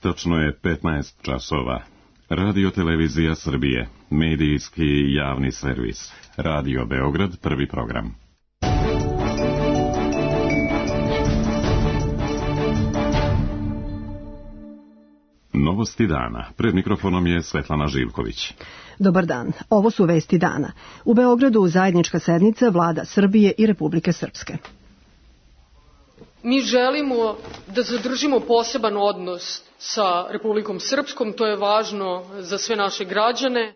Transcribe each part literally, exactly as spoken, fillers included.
Tačno je petnaest časova. Radio Televizija Srbije, medijski javni servis. Radio Beograd, prvi program. Novosti dana. Pred mikrofonom je Svetlana Živković. Dobar dan. Ovo su vesti dana. U Beogradu zajednička sednica Vlada Srbije i Republike Srpske. Mi želimo da zadržimo poseban odnos sa Republikom Srpskom, to je važno za sve naše građane.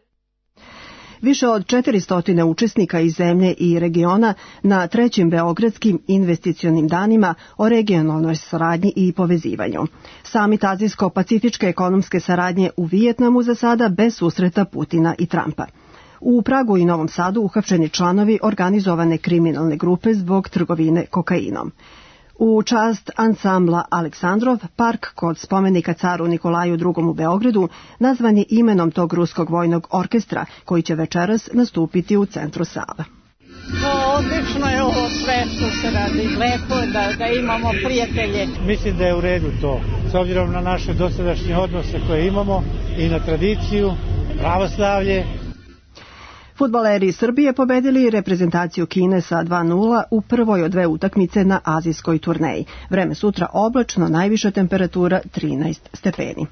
Više od četiristo učesnika iz zemlje i regiona na trećim Beogradskim investicionim danima o regionalnoj saradnji i povezivanju. Samit Azijsko-pacifičke ekonomske saradnje u Vijetnamu za sada bez susreta Putina i Trumpa. U Pragu i Novom Sadu uhapšeni članovi organizovane kriminalne grupe zbog trgovine kokainom. U čast ansambla Aleksandrov, park kod spomenika caru Nikolaju drugom u Beogradu nazvan je imenom tog ruskog vojnog orkestra koji će večeras nastupiti u centru Save. No, odlično je ovo sve što se radi. Lepo je da, da imamo prijatelje. Mislim da je u redu to, s obzirom na naše dosadašnje odnose koje imamo i na tradiciju, pravoslavlje. Fudbaleri Srbije pobedili reprezentaciju Kine sa dva nula u prvoj od dve utakmice na azijskoj turneji. Vreme sutra oblačno, najviša temperatura trinaest stepeni.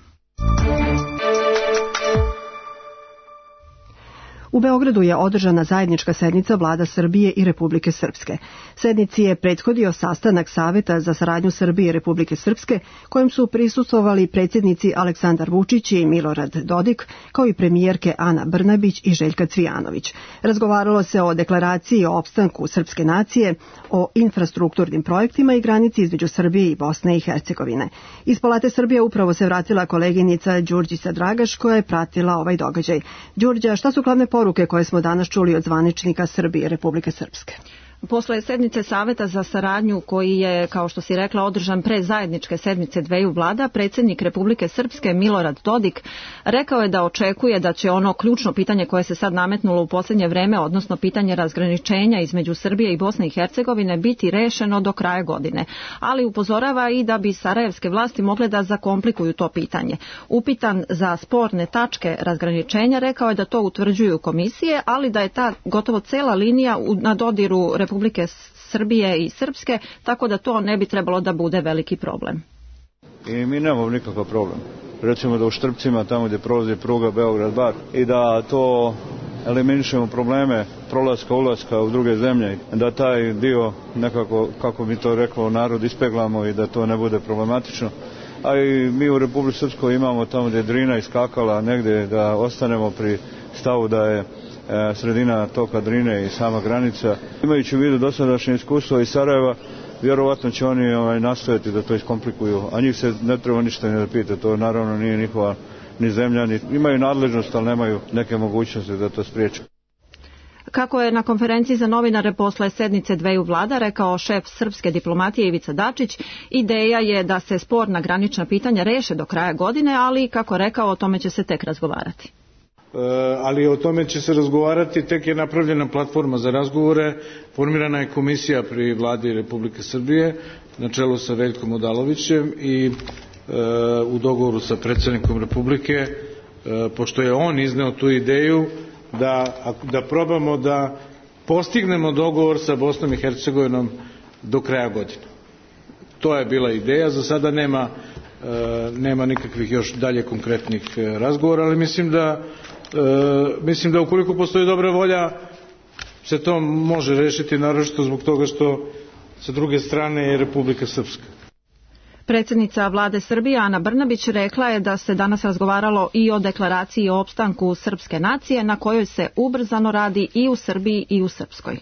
U Beogradu je održana zajednička sednica Vlada Srbije i Republike Srpske. Sednici je prethodio sastanak Saveta za saradnju Srbije i Republike Srpske, kojem su prisustvovali predsjednici Aleksandar Vučić i Milorad Dodik, kao i premijerke Ana Brnabić i Željka Cvijanović. Razgovaralo se o deklaraciji o opstanku srpske nacije, o infrastrukturnim projektima i granici između Srbije i Bosne i Hercegovine. Iz Palate Srbije upravo se vratila koleginica Đurđica Dragaš, koja je pratila ovaj događaj. Đurđa, šta su glavne poruke koje smo danas čuli od zvaničnika Srbije i Republike Srpske? Posle sednice Saveta za saradnju koji je, kao što si rekla, održan pre zajedničke sedmice dveju vlada, predsjednik Republike Srpske Milorad Dodik rekao je da očekuje da će ono ključno pitanje koje se sad nametnulo u posljednje vreme, odnosno pitanje razgraničenja između Srbije i Bosne i Hercegovine, biti rešeno do kraja godine. Ali upozorava i da bi sarajevske vlasti mogle da zakomplikuju to pitanje. Upitan za sporne tačke razgraničenja, rekao je da to utvrđuju komisije, ali da je ta gotovo cela linija na dodiru Republike Srbije i Srpske, tako da to ne bi trebalo da bude veliki problem. I mi nemamo nikakav problem. Recimo da u Štrpcima, tamo gdje prolazi pruga Beograd-Bar, i da to eliminišemo probleme prolaska, ulaska u druge zemlje, da taj dio nekako, kako bi to reklo, narod ispeglamo i da to ne bude problematično. A i mi u Republici Srpskoj imamo tamo gdje je Drina iskakala negdje, da ostanemo pri stavu da je sredina toka Drine i sama granica. Imajući u vidu dosadašnje iskustvo iz Sarajeva, vjerovatno će oni ovaj, nastojati da to iskomplikuju, a njih se ne treba ništa ni da pita, to naravno nije njihova ni zemlja, ni, imaju nadležnost, ali nemaju neke mogućnosti da to spriječe. Kako je na konferenciji za novinare posle sednice dveju vlada rekao šef srpske diplomatije Ivica Dačić, ideja je da se sporna granična pitanja reše do kraja godine, ali kako rekao, o tome će se tek razgovarati. Ali o tome će se razgovarati, tek je napravljena platforma za razgovore, formirana je komisija pri vladi Republike Srbije na čelu sa Veljkom Odalovićem i e, u dogovoru sa predsjednikom Republike, e, pošto je on izneo tu ideju da, da probamo da postignemo dogovor sa Bosnom i Hercegovinom do kraja godine. To je bila ideja, za sada nema, e, nema nikakvih još dalje konkretnih razgovora, ali mislim da E, mislim da ukoliko postoji dobra volja se to može rešiti, naročito zbog toga što sa druge strane je Republika Srpska. Predsjednica vlade Srbije Ana Brnabić rekla je da se danas razgovaralo i o deklaraciji o opstanku srpske nacije na kojoj se ubrzano radi i u Srbiji i u Srpskoj.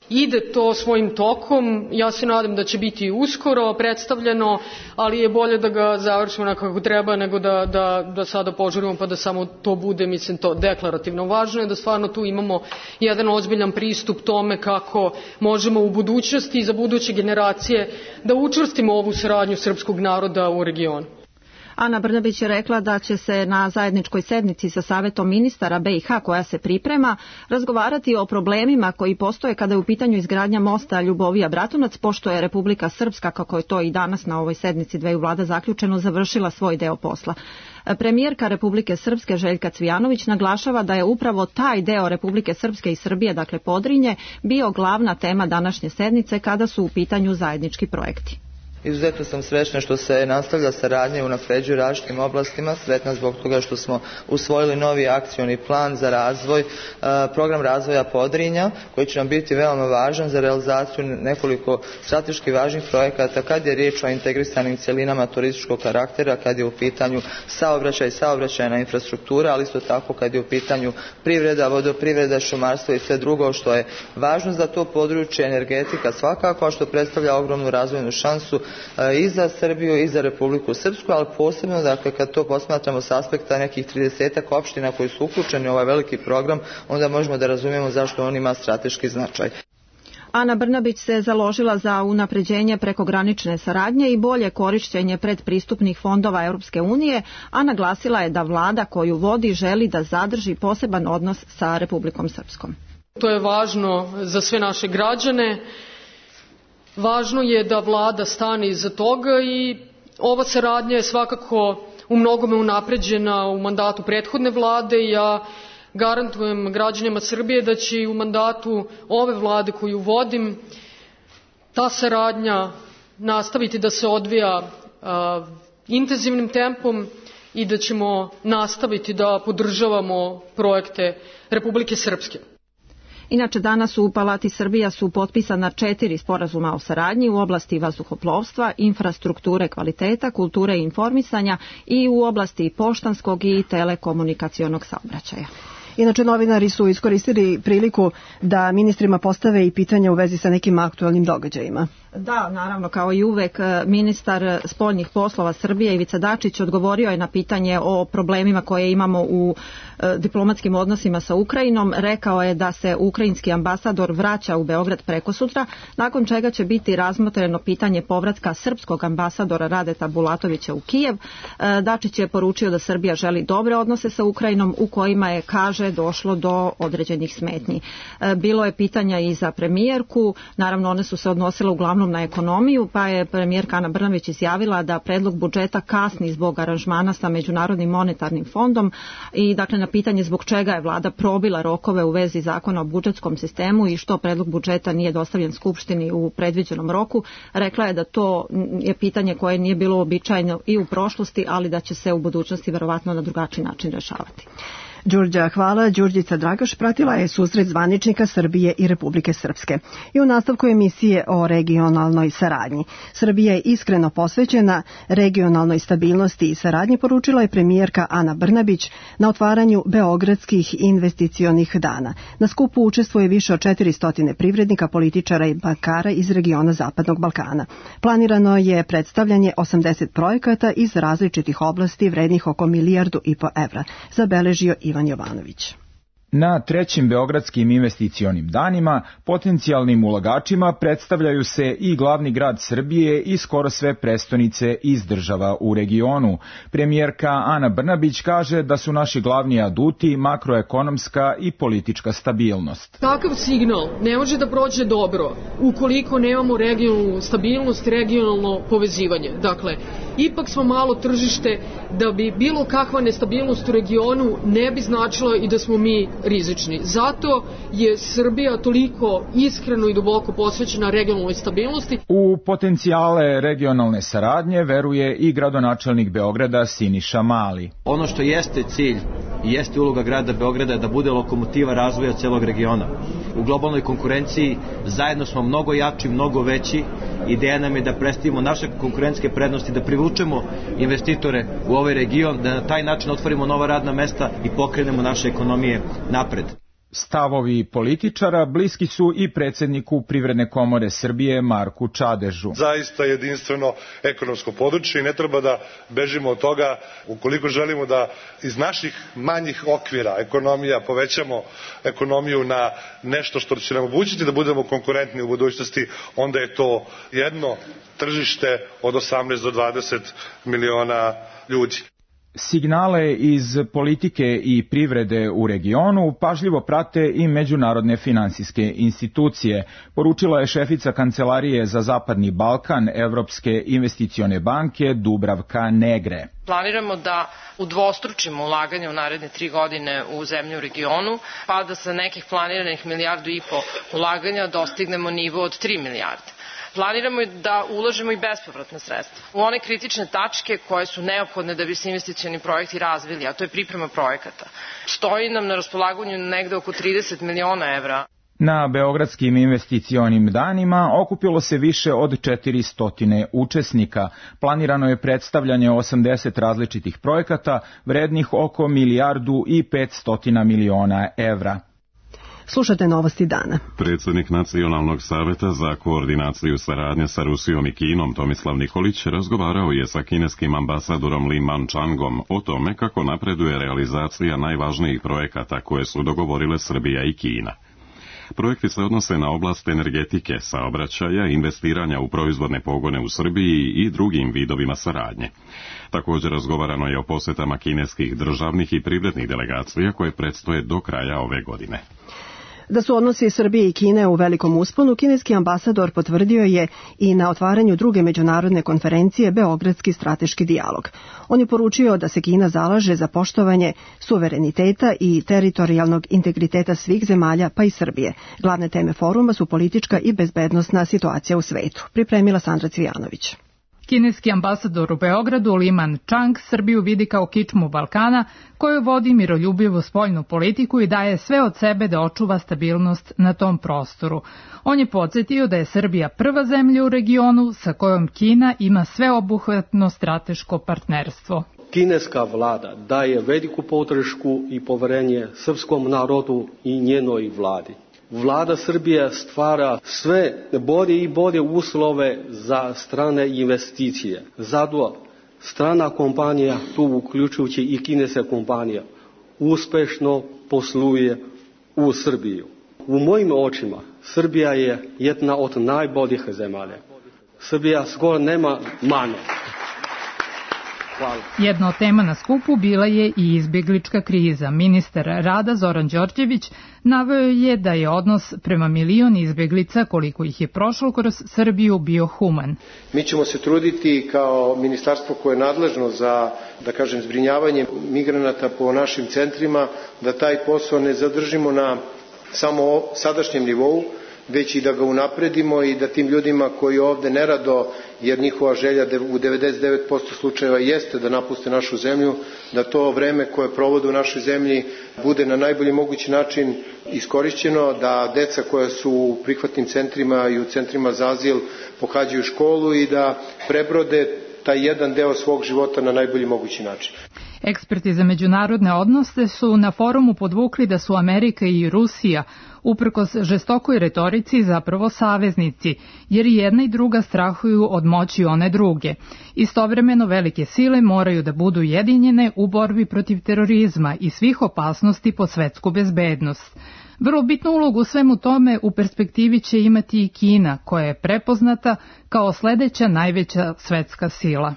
Ide to svojim tokom, ja se nadam da će biti uskoro predstavljeno, ali je bolje da ga završimo onako kako treba nego da, da, da sada požurimo pa da samo to bude, mislim, to deklarativno. Važno je da stvarno tu imamo jedan ozbiljan pristup tome kako možemo u budućnosti i za buduće generacije da učvrstimo ovu saradnju srpskog naroda u regionu. Ana Brnabić je rekla da će se na zajedničkoj sednici sa Savetom ministara B i H koja se priprema razgovarati o problemima koji postoje kada je u pitanju izgradnja mosta Ljubovija-Bratunac, pošto je Republika Srpska, kako je to i danas na ovoj sednici dveju vlada zaključeno, završila svoj deo posla. Premijerka Republike Srpske Željka Cvijanović naglašava da je upravo taj deo Republike Srpske i Srbije, dakle Podrinje, bio glavna tema današnje sednice kada su u pitanju zajednički projekti. Izuzetno sam srećna što se nastavlja saradnja i unapređuje u različitim oblastima, sretna zbog toga što smo usvojili novi akcioni plan za razvoj, program razvoja Podrinja, koji će nam biti veoma važan za realizaciju nekoliko strateški važnih projekata kad je riječ o integrisanim cjelinama turističkog karaktera, kad je u pitanju saobraćaj i saobraćajna infrastruktura, ali isto tako kad je u pitanju privreda, vodoprivreda, šumarstvo i sve drugo što je važno za to područje, energetika svakako, a što predstavlja ogromnu razvojnu šansu i za Srbiju i za Republiku Srpsku, ali posebno, dakle, kad to posmatramo s aspekta nekih tridesetak opština koji su uključeni u ovaj veliki program, onda možemo da razumijemo zašto on ima strateški značaj. Ana Brnabić se založila za unapređenje prekogranične saradnje i bolje korišćenje predpristupnih fondova Europske unije, a naglasila je da vlada koju vodi želi da zadrži poseban odnos sa Republikom Srpskom. To je važno za sve naše građane. Važno je da vlada stane iza toga i ova saradnja je svakako u mnogome unapređena u mandatu prethodne vlade. Ja garantujem građanima Srbije da će i u mandatu ove vlade koju vodim ta saradnja nastaviti da se odvija a, intenzivnim tempom i da ćemo nastaviti da podržavamo projekte Republike Srpske. Inače, danas u Palati Srbija su potpisana četiri sporazuma o saradnji u oblasti vazduhoplovstva, infrastrukture kvaliteta, kulture i informisanja i u oblasti poštanskog i telekomunikacionog saobraćaja. Inače, novinari su iskoristili priliku da ministrima postave i pitanja u vezi sa nekim aktualnim događajima. Da, naravno, kao i uvek, ministar spoljnih poslova Srbije Ivica Dačić odgovorio je na pitanje o problemima koje imamo u e, diplomatskim odnosima sa Ukrajinom. Rekao je da se ukrajinski ambasador vraća u Beograd prekosutra, nakon čega će biti razmotreno pitanje povratka srpskog ambasadora Radeta Bulatovića u Kijev. E, Dačić je poručio da Srbija želi dobre odnose sa Ukrajinom u kojima je, kaže, došlo do određenih smetnji. E, bilo je pitanja i za premijerku, naravno one su se odnosile uglavnom na ekonomiju, pa je premijerka Ana Brnabić izjavila da predlog budžeta kasni zbog aranžmana sa Međunarodnim monetarnim fondom i dakle na pitanje zbog čega je vlada probila rokove u vezi zakona o budžetskom sistemu i što predlog budžeta nije dostavljen Skupštini u predviđenom roku, rekla je da to je pitanje koje nije bilo uobičajeno i u prošlosti, ali da će se u budućnosti verovatno na drugačiji način rešavati. Đurđa, hvala. Đurđica Dragaš pratila je susret zvaničnika Srbije i Republike Srpske. I u nastavku emisije o regionalnoj saradnji. Srbija je iskreno posvećena regionalnoj stabilnosti i saradnji, poručila je premijerka Ana Brnabić na otvaranju Beogradskih investicionih dana. Na skupu učestvuje više od četiristo privrednika, političara i bankara iz regiona Zapadnog Balkana. Planirano je predstavljanje osamdeset projekata iz različitih oblasti vrednih oko milijardu i po evra, zabeležio Ivan Jovanović. Na trećim Beogradskim investicionim danima potencijalnim ulagačima predstavljaju se i glavni grad Srbije i skoro sve prestonice iz država u regionu. Premijerka Ana Brnabić kaže da su naši glavni aduti makroekonomska i politička stabilnost. Takav signal ne može da prođe dobro ukoliko nemamo regionalnu stabilnost, regionalno povezivanje. Dakle, ipak smo malo tržište da bi bilo kakva nestabilnost u regionu ne bi značila i da smo mi rizični. Zato je Srbija toliko iskreno i duboko posvećena regionalnoj stabilnosti. U potencijale regionalne saradnje veruje i gradonačelnik Beograda Siniša Mali. Ono što jeste cilj i jeste uloga grada Beograda da bude lokomotiva razvoja celog regiona. U globalnoj konkurenciji zajedno smo mnogo jači, mnogo veći. Ideja nam je da predstavimo naše konkurentske prednosti, da privučemo investitore u ovaj region, da na taj način otvorimo nova radna mesta i pokrenemo naše ekonomije napred. Stavovi političara bliski su i predsjedniku Privredne komore Srbije Marku Čadežu. Zaista jedinstveno ekonomsko područje i ne treba da bežimo od toga. Ukoliko želimo da iz naših manjih okvira ekonomija povećamo ekonomiju na nešto što će nam omogućiti da budemo konkurentni u budućnosti, onda je to jedno tržište od osamnaest do dvadeset miliona ljudi. Signale iz politike i privrede u regionu pažljivo prate i međunarodne finansijske institucije, poručila je šefica Kancelarije za Zapadni Balkan Evropske investicione banke Dubravka Negre. Planiramo da udvostručimo ulaganje u naredne tri godine u zemlje u regionu, pa da sa nekih planiranih milijardu i po ulaganja dostignemo nivo od tri milijarde. Planiramo da ulažemo i bespovratna sredstva u one kritične tačke koje su neophodne da bi se investicioni projekti razvili, a to je priprema projekata. Stoji nam na raspolaganju negde oko trideset miliona evra. Na Beogradskim investicionim danima okupilo se više od četiristo učesnika. Planirano je predstavljanje osamdeset različitih projekata vrednih oko milijardu i petsto miliona evra. Slušate novosti dana. Predsjednik Nacionalnog saveta za koordinaciju saradnje sa Rusijom i Kinom Tomislav Nikolić razgovarao je sa kineskim ambasadorom Li Manchangom o tome kako napreduje realizacija najvažnijih projekata koje su dogovorile Srbija i Kina. Projekti se odnose na oblast energetike, saobraćaja, investiranja u proizvodne pogone u Srbiji i drugim vidovima saradnje. Također razgovarano je o posjetama kineskih državnih i privrednih delegacija koje predstoje do kraja ove godine. Da su odnosi Srbije i Kine u velikom usponu, kineski ambasador potvrdio je i na otvaranju druge međunarodne konferencije Beogradski strateški dijalog. On je poručio da se Kina zalaže za poštovanje suvereniteta i teritorijalnog integriteta svih zemalja, pa i Srbije. Glavne teme foruma su politička i bezbednosna situacija u svetu. Pripremila Sandra Cvijanović. Kineski ambasador u Beogradu Li Manchang Srbiju vidi kao kičmu Balkana koju vodi miroljubivu spoljnu politiku i daje sve od sebe da očuva stabilnost na tom prostoru. On je podsjetio da je Srbija prva zemlja u regionu sa kojom Kina ima sveobuhvatno strateško partnerstvo. Kineska vlada daje veliku podršku i poverenje srpskom narodu i njenoj vladi. Vlada Srbije stvara sve bolje i bolje uslove za strane investicije. Zato strana kompanija, tu uključujući i kineska kompanija, uspešno posluje u Srbiju. U mojim očima Srbija je jedna od najboljih zemalja. Srbija skoro nema mane. Hvala. Jedna od tema na skupu bila je i izbjeglička kriza. Ministar rada Zoran Đorđević naveo je da je odnos prema milion izbjeglica, koliko ih je prošlo kroz Srbiju, bio human. Mi ćemo se truditi kao ministarstvo koje je nadležno za, da kažem, zbrinjavanje migranata po našim centrima, da taj posao ne zadržimo na samo sadašnjem nivou, već i da ga unapredimo i da tim ljudima koji ovde nerado, jer njihova želja u devedeset devet posto slučajeva jeste da napuste našu zemlju, da to vreme koje provode u našoj zemlji bude na najbolji mogući način iskorišćeno, da deca koja su u prihvatnim centrima i u centrima za azil pohađaju školu i da prebrode taj jedan deo svog života na najbolji mogući način. Eksperti za međunarodne odnose su na forumu podvukli da su Amerika i Rusija uprkos žestokoj retorici zapravo saveznici, jer i jedna i druga strahuju od moći one druge. Istovremeno velike sile moraju da budu jedinjene u borbi protiv terorizma i svih opasnosti po svetsku bezbednost. Vrlo bitnu ulogu u svemu tome u perspektivi će imati i Kina, koja je prepoznata kao sledeća najveća svetska sila.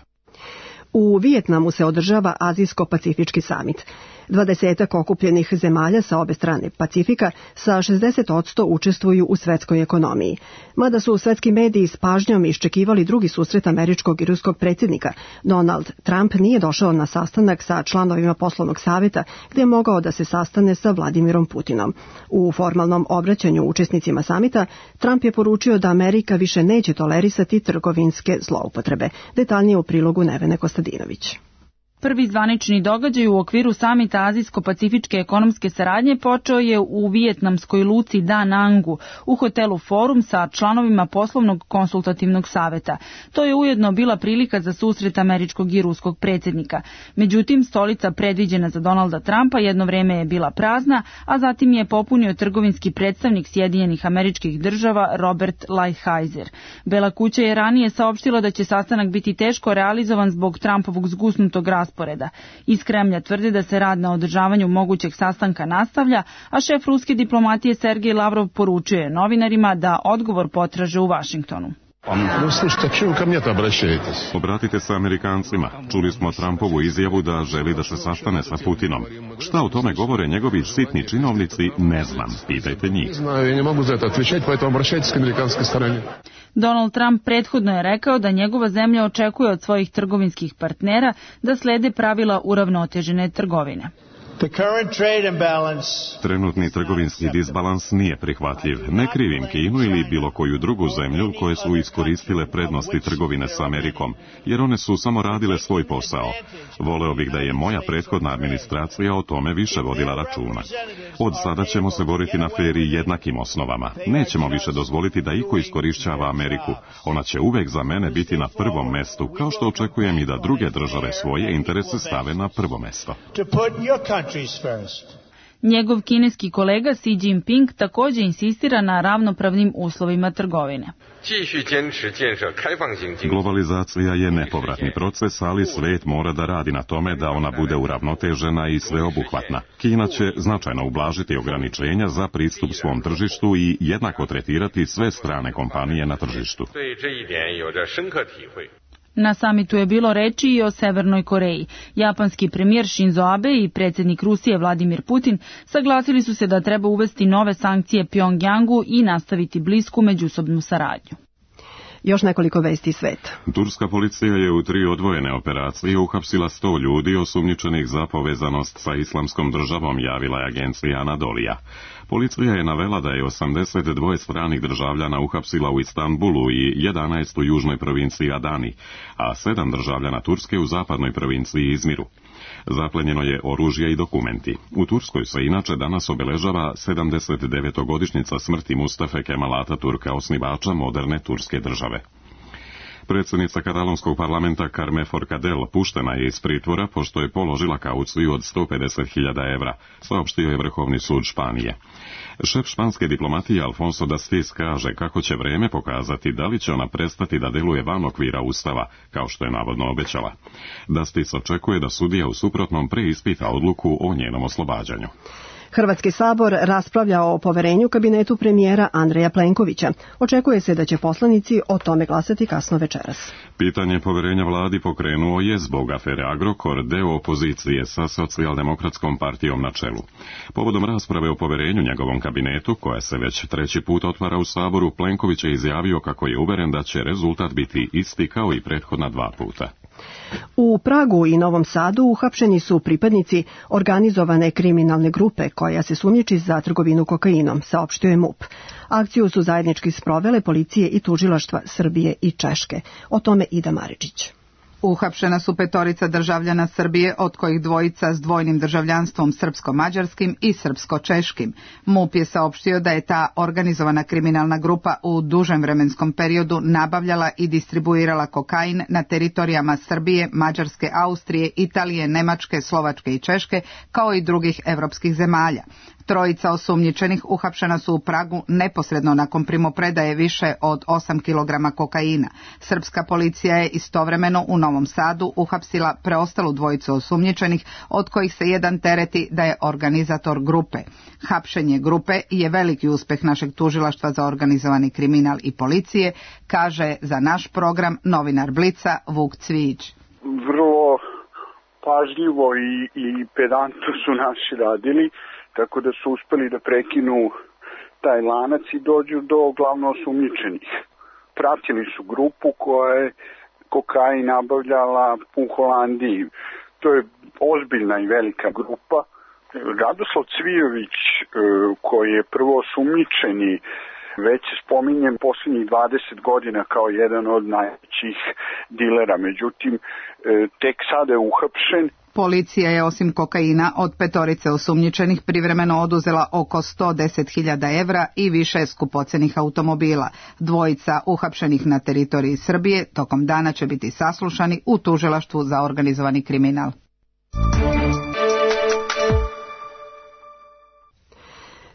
U Vijetnamu se održava Azijsko-pacifički samit. Dvadesetak okupljenih zemalja sa obe strane Pacifika sa šezdeset posto učestvuju u svetskoj ekonomiji. Mada su svetski mediji s pažnjom iščekivali drugi susret američkog i ruskog predsjednika, Donald Trump nije došao na sastanak sa članovima poslovnog saveta gdje je mogao da se sastane sa Vladimirom Putinom. U formalnom obraćanju učesnicima samita Trump je poručio da Amerika više neće tolerisati trgovinske zloupotrebe. Detaljnije u prilogu Nevene Kostadinović. Prvi zvanični događaj u okviru samita Azijsko-pacifičke ekonomske saradnje počeo je u vijetnamskoj luci Da Nangu u hotelu Forum sa članovima poslovnog konsultativnog saveta. To je ujedno bila prilika za susret američkog i ruskog predsjednika. Međutim, stolica predviđena za Donalda Trumpa jedno vreme je bila prazna, a zatim je popunio trgovinski predstavnik Sjedinjenih Američkih Država Robert Lighthizer. Bela kuća je ranije saopštila da će sastanak biti teško realizovan zbog Trumpovog zgusnutog rasporeda. Iz Kremlja tvrde da se rad na održavanju mogućeg sastanka nastavlja, a šef ruske diplomatije Sergej Lavrov poručuje novinarima da odgovor potraže u Vašingtonu. Obratite se Amerikancima. Čuli smo Trumpovu izjavu da želi da se sastane sa Putinom. Šta o tome govore njegovi sitni činovnici, ne znam. Pitajte njih. Donald Trump prethodno je rekao da njegova zemlja očekuje od svojih trgovinskih partnera da slede pravila uravnotežene trgovine. Trenutni trgovinski disbalans nije prihvatljiv. Ne krivim Kinu ili bilo koju drugu zemlju koje su iskoristile prednosti trgovine s Amerikom, jer one su samo radile svoj posao. Voleo bih da je moja prethodna administracija o tome više vodila računa. Od sada ćemo se boriti na fer i jednakim osnovama. Nećemo više dozvoliti da iko iskorišćava Ameriku. Ona će uvek za mene biti na prvom mestu, kao što očekujem i da druge države svoje interese stave na prvo mesto. Njegov kineski kolega Xi Jinping također insistira na ravnopravnim uslovima trgovine. Globalizacija je nepovratni proces, ali svet mora da radi na tome da ona bude uravnotežena i sveobuhvatna. Kina će značajno ublažiti ograničenja za pristup svom tržištu i jednako tretirati sve strane kompanije na tržištu. Na samitu je bilo reči i o Severnoj Koreji. Japanski premijer Shinzo Abe i predsjednik Rusije Vladimir Putin saglasili su se da treba uvesti nove sankcije Pjongjangu i nastaviti blisku međusobnu saradnju. Još nekoliko vesti sveta. Turska policija je u tri odvojene operacije uhapsila sto ljudi osumnjičenih za povezanost sa Islamskom državom, javila je agencija Anadolija. Policija je navela da je osamdeset dva stranih državljana uhapsila u Istanbulu i jedanaest u južnoj provinciji Adani, a sedam državljana Turske u zapadnoj provinciji Izmiru. Zaplenjeno je oružje i dokumenti. U Turskoj se inače danas obeležava sedamdesetdevetogodišnjica smrti Mustafe Kemal Ataturka, osnivača moderne turske države. Predsjednica katalonskog parlamenta Carme Forcadell puštena je iz pritvora pošto je položila kauciju od sto pedeset hiljada evra, saopštio je Vrhovni sud Španije. Šef španske diplomatije Alfonso Dastis kaže kako će vreme pokazati da li će ona prestati da deluje van okvira Ustava, kao što je navodno obećala. Dastis očekuje da sudija u suprotnom preispita odluku o njenom oslobađanju. Hrvatski sabor raspravlja o poverenju kabinetu premijera Andreja Plenkovića. Očekuje se da će poslanici o tome glasati kasno večeras. Pitanje poverenja vladi pokrenuo je zbog afere Agrokor deo opozicije sa Socijaldemokratskom partijom na čelu. Povodom rasprave o poverenju njegovom kabinetu, koja se već treći put otvara u saboru, Plenković je izjavio kako je uveren da će rezultat biti isti kao i prethodna dva puta. U Pragu i Novom Sadu uhapšeni su pripadnici organizovane kriminalne grupe koja se sumnjiči za trgovinu kokainom, saopštio je M U P. Akciju su zajednički sprovele policije i tužilaštva Srbije i Češke. O tome Ida Maričić. Uhapšena su petorica državljana Srbije, od kojih dvojica s dvojnim državljanstvom srpsko-mađarskim i srpsko-češkim. M U P je saopštio da je ta organizovana kriminalna grupa u dužem vremenskom periodu nabavljala i distribuirala kokain na teritorijama Srbije, Mađarske, Austrije, Italije, Nemačke, Slovačke i Češke, kao i drugih evropskih zemalja. Trojica osumnjičenih uhapšena su u Pragu neposredno nakon primopredaje više od osam kilograma kokaina. Srpska policija je istovremeno u Novom Sadu uhapsila preostalu dvojicu osumnjičenih, od kojih se jedan tereti da je organizator grupe. Hapšenje grupe je veliki uspeh našeg tužilaštva za organizovani kriminal i policije, kaže za naš program novinar Blica Vuk Cvijić. Vrlo pažljivo i, i pedantno su naši radili, tako da su uspeli da prekinu taj lanac i dođu do glavno osumnjičenih. Pratili su grupu koja je kokain nabavljala u Holandiji. To je ozbiljna i velika grupa. Radoslav Cvijović, koji je prvo osumnjičeni, već se spominjem posljednjih dvadeset godina kao jedan od najvećih najvećih dilera. Međutim, tek sada je uhapšen. Policija je osim kokaina od petorice osumnjičenih privremeno oduzela oko sto deset hiljada evra i više skupocenih automobila. Dvojica uhapšenih na teritoriji Srbije tokom dana će biti saslušani u tužilaštvu za organizovani kriminal.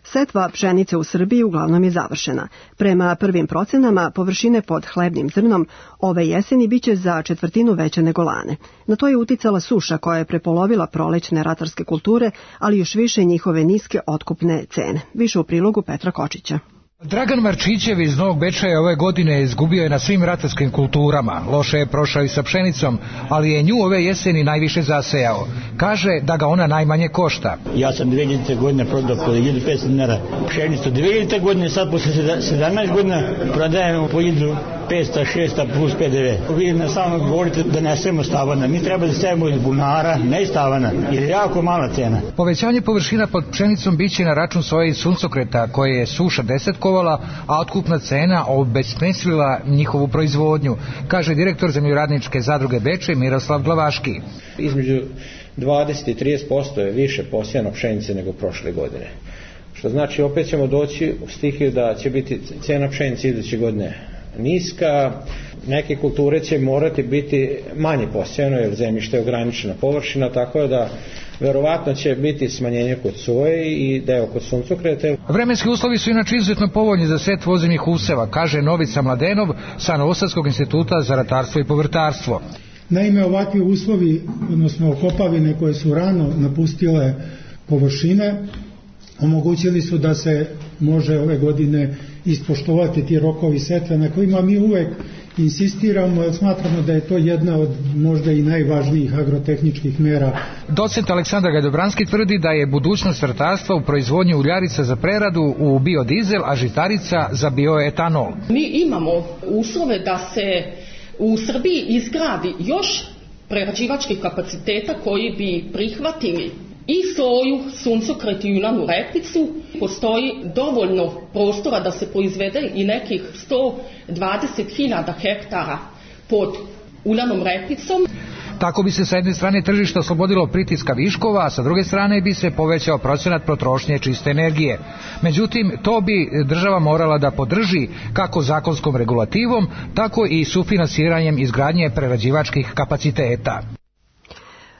Setva pšenice u Srbiji uglavnom je završena. Prema prvim procenama, površine pod hlebnim zrnom ove jeseni biće za četvrtinu veće nego lane. Na to je uticala suša koja je prepolovila prolećne ratarske kulture, ali još više njihove niske otkupne cene. Više u prilogu Petra Kočića. Dragan Marčićev iz Novog Bečeja ove godine izgubio je na svim ratarskim kulturama. Loše je prošao i sa pšenicom, ali je nju ove jeseni najviše zasejao. Kaže da ga ona najmanje košta. Ja sam dve hiljadite godine prodao po hiljadu petsto dinara pšenicu. dve hiljadite godine, sad posle sedamnaest godina prodajemo po hiljadu petsto šesto plus pe de ve. Vi na samo govorite da nesemo stavana. Mi treba da sejemo iz bunara, ne iz stavana, jer je jako mala cena. Povećanje površina pod pšenicom biće na račun soje i suncokreta, koje je suša desetkovala, a otkupna cena obesmislila njihovu proizvodnju, kaže direktor Zemljoradničke zadruge Bečej Miroslav Glavaški. Između dvadeset i trideset posto je više posijano pšenice nego prošle godine. Što znači opet ćemo doći u stihiju da će biti cena pšenice iduće godine niska, neke kulture će morati biti manje posijano jer zemljište je ograničena površina, tako da verovatno će biti smanjenje kod soje i deo kod suncokreta. Vremenski uslovi su inače izuzetno povoljni za setvu ozimnih useva, kaže Novica Mladenov sa Novosadskog instituta za ratarstvo i povrtarstvo. Naime, ovakvi uslovi, odnosno okopavine koje su rano napustile površine, omogućili su da se može ove godine ispoštovati ti rokovi setve na kojima mi uvek insistiramo, jer smatramo da je to jedna od možda i najvažnijih agrotehničkih mera. Docent Aleksandar Gajdobranski tvrdi da je budućnost ratarstva u proizvodnji uljarica za preradu u biodizel, a žitarica za bioetanol. Mi imamo uslove da se u Srbiji izgradi još prerađivačkih kapaciteta koji bi prihvatili i soju, suncokret i uljanu repicu. Postoji dovoljno prostora da se proizvede i nekih sto dvadeset hiljada hektara pod uljanom repicom. Tako bi se sa jedne strane tržište oslobodilo pritiska viškova, a sa druge strane bi se povećao procenat potrošnje čiste energije. Međutim, to bi država morala da podrži kako zakonskom regulativom, tako i sufinansiranjem izgradnje prerađivačkih kapaciteta.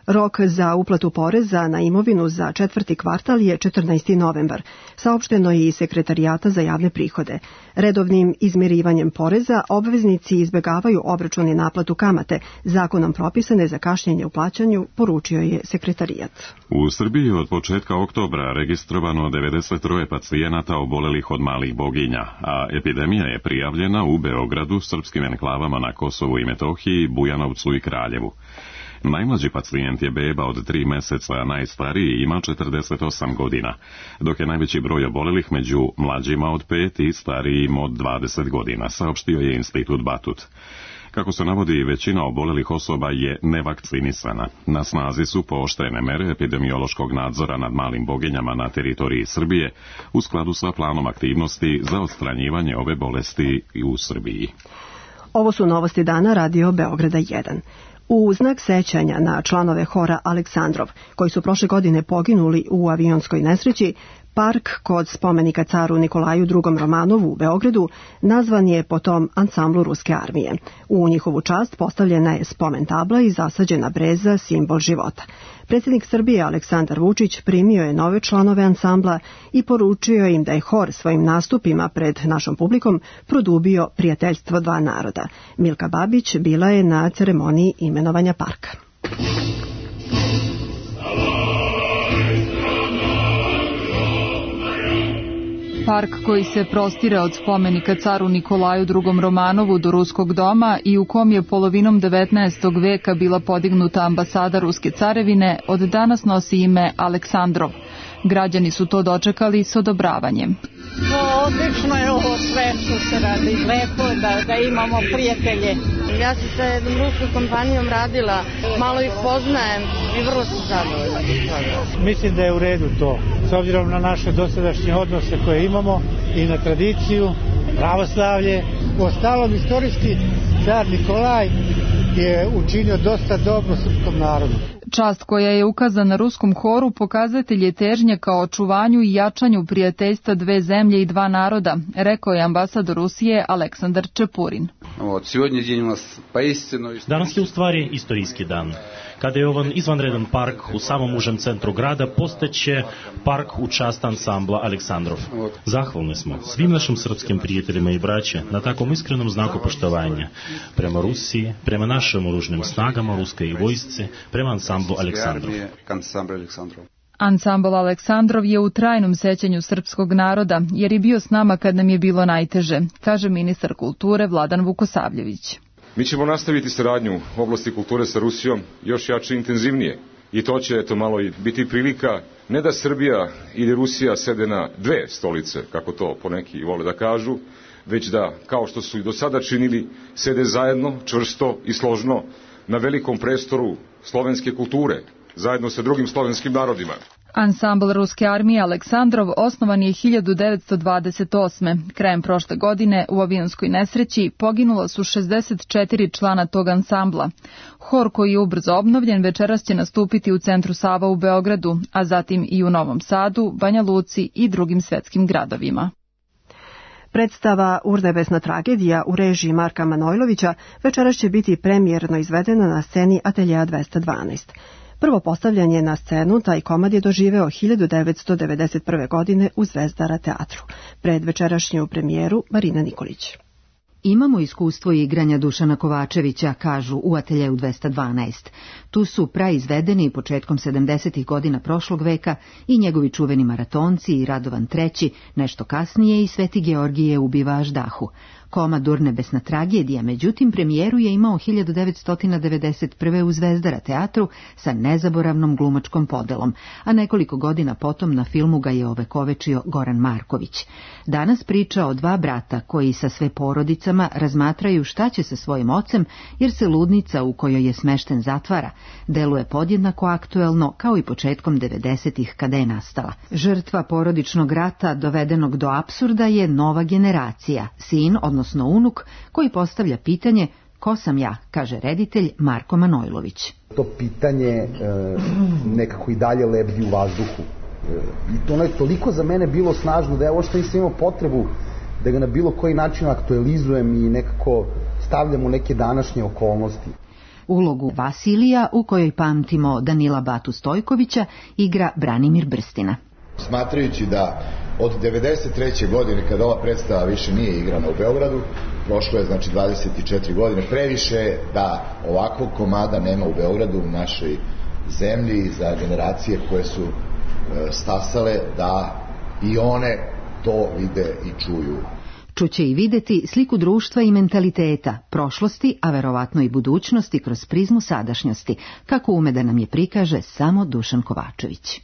Rok za uplatu poreza na imovinu za četvrti kvartal je četrnaesti novembar, saopšteno je i Sekretarijata za javne prihode. Redovnim izmirivanjem poreza obveznici izbegavaju obračun i naplatu kamate, zakonom propisane za kašnjenje u plaćanju, poručio je Sekretarijat. U Srbiji od početka oktobra registrovano devedeset tri pacijenata obolelih od malih boginja, a epidemija je prijavljena u Beogradu, srpskim enklavama na Kosovu i Metohiji, Bujanovcu i Kraljevu. Najmlađi pacijent je beba od tri meseca, a najstariji ima četrdeset osam godina, dok je najveći broj obolelih među mlađima od pet i starijim od dvadeset godina, saopštio je Institut Batut. Kako se navodi, većina obolelih osoba je nevakcinisana. Na snazi su pooštrene mere epidemiološkog nadzora nad malim boginjama na teritoriji Srbije u skladu sa planom aktivnosti za odstranjivanje ove bolesti i u Srbiji. Ovo su novosti dana Radio Beograda jedan. U znak sećanja na članove hora Aleksandrov, koji su prošle godine poginuli u avionskoj nesreći, park kod spomenika caru Nikolaju drugom Romanovu u Beogradu nazvan je po tom ansamblu ruske armije. U njihovu čast postavljena je spomen tabla i zasađena breza, simbol života. Predsjednik Srbije Aleksandar Vučić primio je nove članove ansambla i poručio im da je hor svojim nastupima pred našom publikom produbio prijateljstvo dva naroda. Milka Babić bila je na ceremoniji imenovanja parka. Park koji se prostire od spomenika caru Nikolaju drugom Romanovu do Ruskog doma i u kom je polovinom devetnaestog veka bila podignuta ambasada Ruske carevine, od danas nosi ime Aleksandrov. Građani su to dočekali s odobravanjem. No, odlično je ovo sve što se radi. Lepo da, da imamo prijatelje. Ja sam sa jednom ruskom kompanijom radila, malo ih poznajem i vrlo sam zadovoljna. Mislim da je u redu to, s obzirom na naše dosadašnje odnose koje imamo i na tradiciju, pravoslavlje. Ostalom, istorijski car Nikolaj je učinio dosta dobro srpskom narodu. Čast koja je ukazana ruskom horu pokazatelj je težnje kao očuvanju i jačanju prijateljstva dve zemlje i dva naroda, rekao je ambasador Rusije Aleksandar Čepurin. Danas je u stvari istorijski dan. Kada je ovan izvanredan park u samom užem centru grada postaće park u čast ansambla Aleksandrov. Zahvalni smo svim našim srpskim prijateljima i braće na takvom iskrenom znaku poštovanja prema Rusiji, prema našim oružnim snagama, ruskoj vojsci, prema ansamblu Aleksandrov. Ansambl Aleksandrov je u trajnom sećanju srpskog naroda, jer je bio s nama kad nam je bilo najteže, kaže ministar kulture Vladan Vukosavljević. Mi ćemo nastaviti saradnju u oblasti kulture sa Rusijom još jače i intenzivnije. I to će eto malo i biti prilika ne da Srbija ili Rusija sede na dve stolice, kako to poneki vole da kažu, već da, kao što su i do sada činili, sede zajedno, čvrsto i složno na velikom prestoru slovenske kulture, zajedno sa drugim slovenskim narodima. Ansambl Ruske armije Aleksandrov osnovan je hiljadu devetsto dvadeset osme. Krajem prošle godine u avionskoj nesreći poginula su šezdeset četiri člana tog ansambla. Hor koji je ubrzo obnovljen večeras će nastupiti u centru Sava u Beogradu, a zatim i u Novom Sadu, Banja Luci i drugim svetskim gradovima. Predstava Urnebesna tragedija u režiji Marka Manojlovića večeras će biti premijerno izvedena na sceni Ateljea dvesta dvanaest. Prvo postavljanje na scenu taj komad je doživeo hiljadu devetsto devedeset prve. godine u Zvezdara teatru. Pred večerašnju premijeru Marina Nikolić. Imamo iskustvo igranja Dušana Kovačevića, kažu u Ateljeu dvesta dvanaest. Tu su praizvedeni početkom sedamdesetih godina prošlog veka i njegovi čuveni Maratonci i Radovan treći, nešto kasnije i Sveti Georgije ubiva Aždahu. Komad Urnebesna tragedija, međutim, premijeru je imao hiljadu devetsto devedeset prve. u Zvezdara teatru sa nezaboravnom glumačkom podelom, a nekoliko godina potom na filmu ga je ovekovečio Goran Marković. Danas priča o dva brata koji sa sve porodicama razmatraju šta će sa svojim ocem, jer se ludnica u kojoj je smešten zatvara. Deluje podjednako aktuelno kao i početkom devedesetih kada je nastala. Žrtva porodičnog rata dovedenog do apsurda je nova generacija, sin, odnosno unuk, koji postavlja pitanje ko sam ja, kaže reditelj Marko Manojlović. To pitanje e, nekako i dalje lebdi u vazduhu. E, I to je toliko za mene bilo snažno da ja uopšte nisam imao potrebu da ga na bilo koji način aktualizujem i nekako stavljam u neke današnje okolnosti. Ulogu Vasilija, u kojoj pamtimo Danila Batu Stojkovića, igra Branimir Brstina. Smatrajući da od devedeset treće. godine, kada ova predstava više nije igrana u Beogradu, prošlo je znači dvadeset četiri godine, previše da ovakvog komada nema u Beogradu, u našoj zemlji, za generacije koje su e, stasale, da i one to vide i čuju. Čuće i videti sliku društva i mentaliteta, prošlosti, a verovatno i budućnosti kroz prizmu sadašnjosti, kako ume da nam je prikaže samo Dušan Kovačević.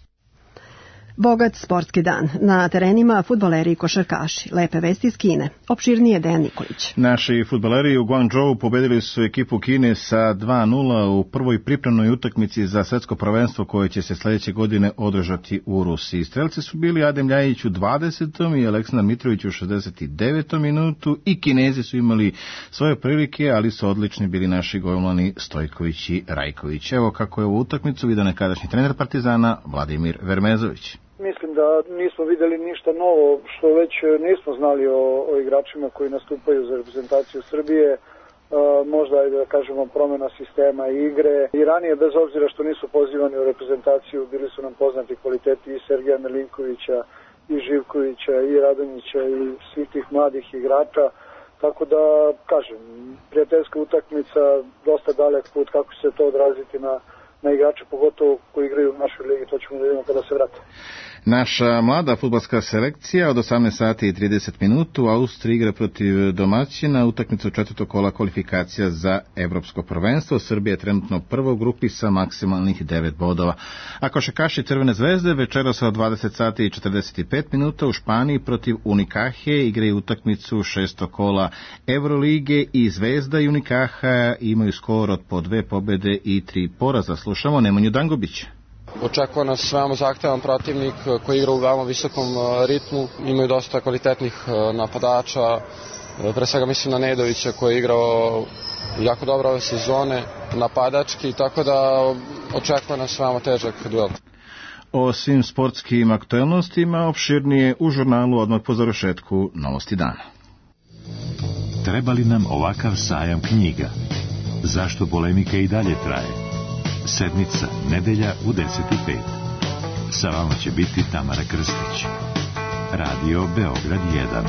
Bogat sportski dan. Na terenima fudbaleri i košarkaši. Lepe vesti iz Kine. Opširnije Dejan Nikolić. Naši fudbaleri u Guangzhou pobedili su ekipu Kine sa dva nula u prvoj pripremnoj utakmici za svetsko prvenstvo koje će se sledeće godine održati u Rusiji. Strelci su bili Adem Ljajić u dvadesetom i Aleksandar Mitrović u šezdeset devetom minutu i Kinezi su imali svoje prilike, ali su odlični bili naši golmani Stojković i Rajković. Evo kako je ovu utakmicu vidio nekadašnji trener Partizana Vladimir Vermezović. Mislim da nismo videli ništa novo što već nismo znali o, o igračima koji nastupaju za reprezentaciju Srbije. E, možda je da kažemo promjena sistema igre. I ranije, bez obzira što nisu pozivani u reprezentaciju, bili su nam poznati kvaliteti i Sergeja Milinkovića, i Živkovića, i Radonjića, i svih tih mladih igrača. Tako da, kažem, prijateljska utakmica, dosta dalek put, kako će se to odraziti na na igrače, pogotovo koji igraju u našoj ligi, to ćemo da vidimo kada se vrate. Naša mlada fudbalska selekcija od osamnaest sati i trideset minuta u Austriji igra protiv domaćina utakmicu četvrtog kola kvalifikacija za evropsko prvenstvo. Srbija je trenutno prva u grupi sa maksimalnih devet bodova. A košarkaši Crvene zvezde večeras od dvadeset sati i četrdeset pet minuta u Španiji protiv Unikahe igraju utakmicu šestog kola Evrolige i Zvezda i Unikaha imaju skor od po dve pobede i tri poraza. Slušamo Nemanju Dangubića. Očekuje nas veoma zahtevan protivnik koji igra u veoma visokom ritmu, imaju dosta kvalitetnih napadača, pre svega mislim na Nedovića koji je igrao jako dobra ove sezone, napadački, tako da očekuje nas veoma težak duel. O svim sportskim aktuelnostima opširnije u žurnalu odmah po završetku Novosti dana. Treba li nam ovakav sajam knjiga? Zašto polemika i dalje traje? Sedmica, nedelja u deset i pet. Sa vama će biti Tamara Krstić. Radio Beograd jedan.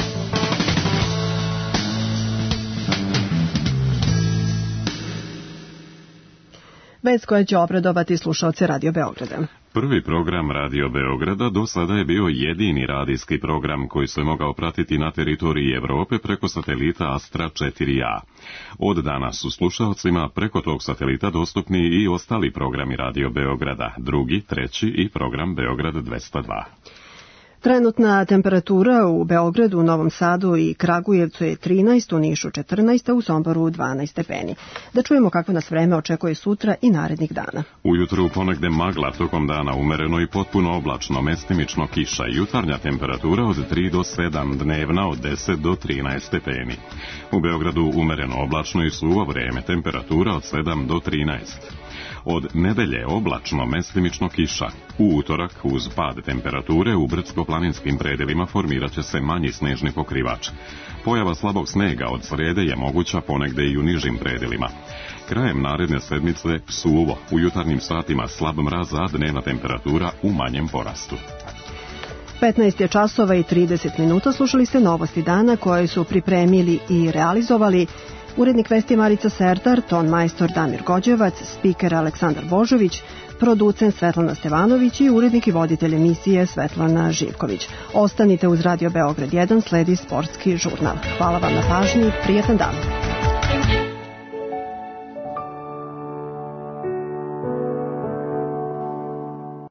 Vest koja će obradovati slušaoce Radio Beograda. Prvi program Radio Beograda do sada je bio jedini radijski program koji se mogao pratiti na teritoriji Evrope preko satelita Astra četiri a. Od danas su slušalcima preko tog satelita dostupni i ostali programi Radio Beograda, drugi, treći i program Beograd dvesta dva. Trenutna temperatura u Beogradu, Novom Sadu i Kragujevcu je trinaest, u Nišu četrnaest, a u Somboru dvanaest stepeni. Da čujemo kako nas vreme očekuje sutra i narednih dana. Ujutru ponegde magla, tokom dana umereno i potpuno oblačno, mestimično kiša. Jutarnja temperatura od tri do sedam, dnevna od deset do trinaest stepeni. U Beogradu umereno oblačno i suvo vreme, temperatura od sedam do trinaest. Od nedelje oblačno, mestimično kiša. U utorak, uz pad temperature, u brdsko-planinskim predelima formirat će se manji snežni pokrivač. Pojava slabog snega od srede je moguća ponegde i u nižim predelima. Krajem naredne sedmice suvo, u jutarnjim satima slab mraz, a dnevna temperatura u manjem porastu. petnaest je časova i trideset minuta, slušali ste Novosti dana koje su pripremili i realizovali urednik vesti Marica Serdar, ton majstor Damir Gođevac, spiker Aleksandar Božović, producent Svetlana Stevanović i urednik i voditelj emisije Svetlana Živković. Ostanite uz Radio Beograd jedan, sledi sportski žurnal. Hvala vam na pažnji, prijetan dan.